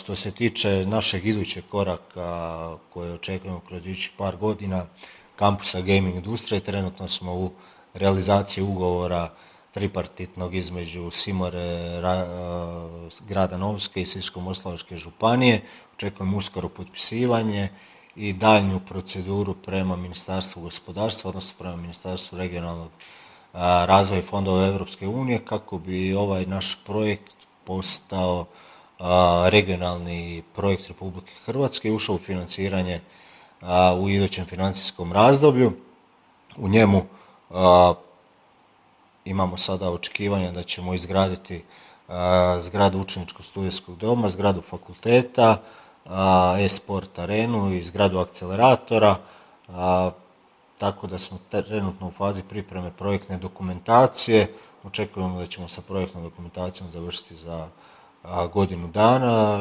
Što se tiče našeg idućeg koraka koje očekujemo kroz idućih par godina, kampusa gaming industrije, trenutno smo u realizaciji ugovora tripartitnog između Simore, grada Novske i Sisačko-moslavačke županije. Očekujemo uskoro potpisivanje i daljnju proceduru prema Ministarstvu gospodarstva, odnosno prema Ministarstvu regionalnog razvoja i fondova Europske unije, kako bi ovaj naš projekt postao regionalni projekt Republike Hrvatske i ušao u financiranje u idućem financijskom razdoblju. U njemu imamo sada očekivanja da ćemo izgraditi zgradu učeničkog studijskog doma, zgradu fakulteta, e-sport arenu i zgradu akceleratora, tako da smo trenutno u fazi pripreme projektne dokumentacije. Očekujemo da ćemo sa projektnom dokumentacijom završiti za godinu dana